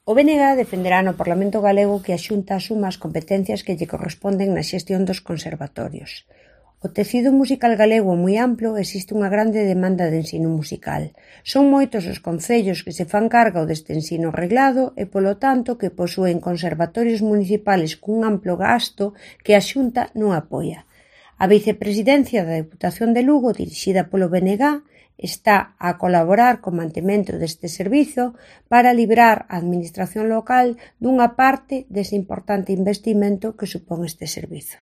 O BNG defenderá no Parlamento galego que a Xunta asuma as competencias que lle corresponden na xestión dos conservatorios. O tecido musical galego é moi amplo e existe unha grande demanda de ensino musical. Son moitos os concellos que se fan cargo deste ensino reglado e, polo tanto, que posúen conservatorios municipales cun amplo gasto que a Xunta non apoia. A vicepresidencia da Deputación de Lugo, dirixida polo BNG, está a colaborar co mantemento deste servizo para librar a administración local dunha parte dese importante investimento que supón este servizo.